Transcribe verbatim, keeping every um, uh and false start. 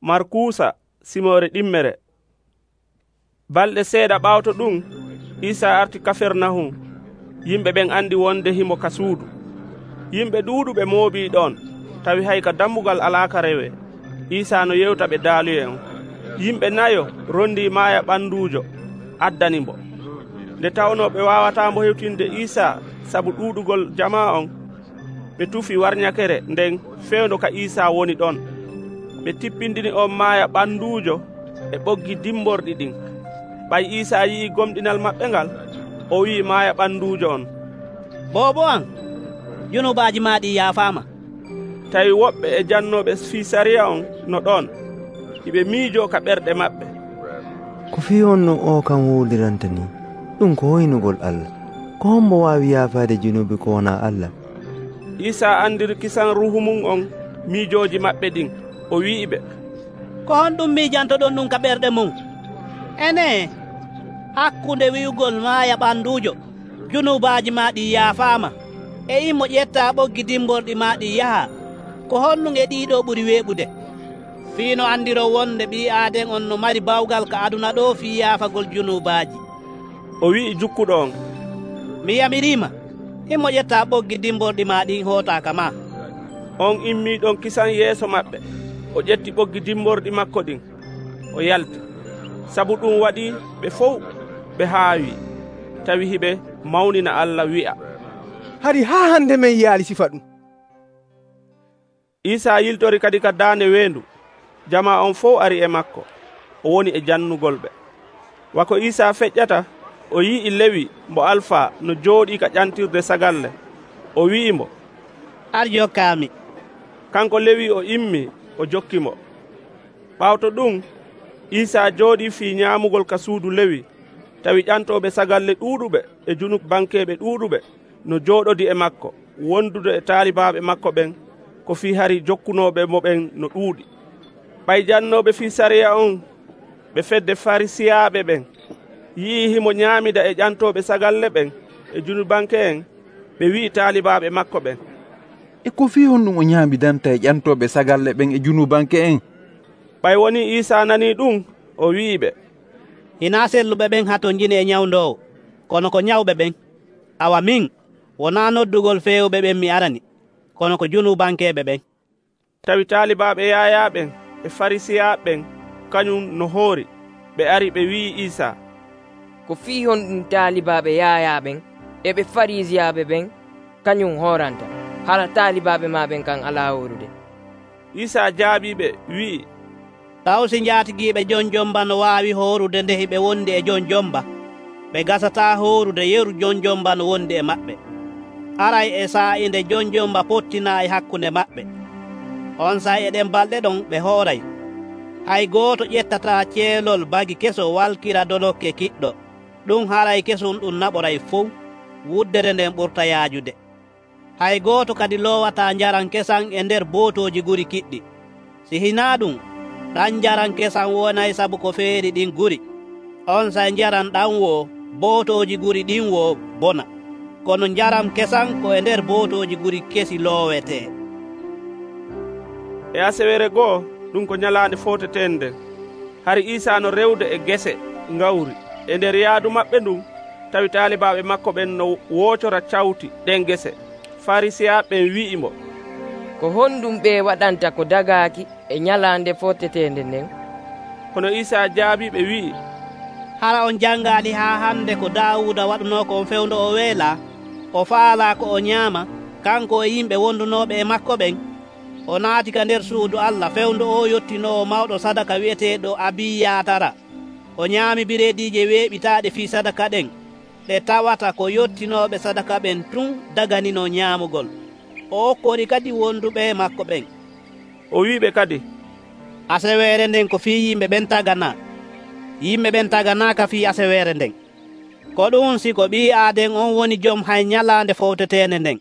Markuusa simoore ɗimmere. Balɗe seeɗa ɓaawto ɗum, Iisaa arti Kafernahum. Yimɓe ɓen andi wonde himo ka suudu. Yimɓe ɗuuɗuɓe moobii ɗon, tawi hay ka dammugal alaaka rewee. Iisaa no yewta ɓe daaluyen. Yimɓe nayo rondii maaya ɓanduujo, addanimbo. Nde tawnoo ɓe waawataambo hewtinde Iisaa sabu ɗuuɗugol jamaa on, ɓe tufi warñakere nden fewndo ka Iisaa woni ɗon. Ɓe tippindini on maaya ɓanduujo e ɓoggi dimborɗi ɗin. Ɓay Iisaa yi'i gomɗinal maɓɓe ngal, o wi'i maaya ɓanduujo on, “Boobo am, junubaaji maa ɗi yaafaama.” Tawi woɓɓe e jannooɓe fii sariya on no ɗon, hiɓe miijoo ka ɓerɗe maɓɓe. Ko fii on no o kam wuuliranta ni? Ɗum ko hoynugol Allah. Ko hombo waawi yaafaade junubi ko wonaa Allah? Iisaa andiri kisan ruuhu mum on miijooji maɓɓe ɗin. O wi'iɓe, ko honɗum miijantoɗon ɗum ka ɓerɗe mum? Ene, hakkunde wi'ugol maaya ɓanduujo, junubaaji maa ɗi yaafaama, e immo ƴettaa ɓoggi dimborɗi maa ɗi yaha, ko honɗum e ɗiiɗo ɓuri weeɓude? Fiino andiro wonde ɓii aaden on no mari bawgal ka aduna ɗo fii yaafagol junubaaji. O wi'i jukkuɗo on, mi yamiriima, immo ƴettaa ɓoggi dimborɗi maa ɗin hootaaka maa. On immii ɗon kisan yeeso maɓɓe. O ƴetti ɓoggi dimborɗi makko ɗin, o yalti. Sabu ɗum waɗi ɓe fof ɓe haawi, tawi hiɓe mawnina Allah wi'a, hari haa hande men yaali sifa ɗum. Iisaa yiltori kadi ka daande weendu. Jamaa on fof ari e makko, o woni e jannugol ɓe. Wako Iisaa feƴƴata, o yi'i Lewi mo Alfaa no jooɗii ka ƴantirde sagalle. O wi'imo, ar jokkaami. Kanko Lewi o immi, o jokkimo. Ɓaawto ɗum, Iisaa jooɗii fii ñaamugol ka suudu Lewi, tawi ƴantooɓe sagalle ɗuuɗuɓe e junub bankeeɓe ɗuuɗuɓe no jooɗodi e makko, wondude e taalibaaɓe makko ɓen, ko fii hari jokkunooɓe mo ɓen no ɗuuɗi. Ɓay jannooɓe fii sariya on ɓe fedde Farisiyaaɓe ɓen yi'i himo ñaamida e ƴantooɓe sagalle ɓen e junubanke en, ɓe wi'i taalibaaɓe makko ɓen, e ko fii honɗum o ñaamidanta e ƴantooɓe sagalle ɓen e junubanke en? Ɓay woni Iisaa nanii ɗum, o wi'iɓe, hinaa selluɓe ɓen hato njini e ñawndoowo, kono ko ñawɓe ɓen. Awa min, wonaa noddugol feewɓe ɓen mi arani, kono ko junubankeeɓe ɓen. Tawi taalibaaɓe Yaaya ɓen e Farisiyaaɓe ɓen kañum no hoori, ɓe ari ɓe wi'i Iisaa, ko fii honɗum taalibaaɓe Yaaya ɓen e ɓe Farisiyaaɓe ɓen kañum hooranta, hala taalibaaɓe maa ɓen kan alaa hoorude. Iisaa jaabiiɓe wi'i, taw si njaatigiiɓe jon jomba no waawi hoorude nde hiɓe wondi e jon jomba, ɓe gasataa hoorude yeru jon jomba no wondi e maɓɓe. Aray e saa'inde jon jomba pottinaayi hakkunde maɓɓe. On saa eɗen balɗe ɗon ɓe hooray. Hay gooto ƴettataa ceelol bagi keso walkira donokke kiɗɗo. Ɗum haray kesum ɗum naɓoray fof, wuddere nden ɓurta yaajude. Hay gooto kadi loowataa njaran kesan e nder bootooji guri kiɗɗi. Si hinaa ɗum, ɗan njaran kesan wonay sabu ko feeri ɗin guri. On say njaran ɗan wo bootooji guri ɗin wo bona. Kono njaram kesan ko e nder bootooji guri kesi loowetee. E asewere goo, ɗum ko nyalaande footetende, hari Iisaa no rewde e gese ngawri e nder yaadu maɓɓe ndun, tawi taalibaaɓe makko ɓen no woocora cawti ɗen gese. Farisiyaaɓe ɓen wi'imo, ko honɗum ɓe waɗanta ko dagaaki e nyalaande footetende nden? Kono Iisaa jaabii ɓe wi'i, hara on janngaali haa hannde ko Daawuda waɗunoo ko on fewndo o weelaa, o faalaa ko o ñaama, kanko e yimɓe wondunooɓe e makko ɓen. O naati ka nder suudu Allah, fewndo o yottinoo mawɗo sadaka wi'eteeɗo Abiyatara. O ñaami bireediije weeɓitaaɗe fii sadaka ɗen, ɗe tawata ko yottinooɓe sadaka ɓen tun daganino ñaamugol. O okkori kadi wonduɓe e makko ɓen. O wi'iɓe kadi, aseweere nden ko fii yimɓe ɓen taganaa. Yimɓe ɓen taganaaka fii aseweere nden. Ko ɗum si ko ɓii aaden on woni jom hay nyalaande fowtetende nden.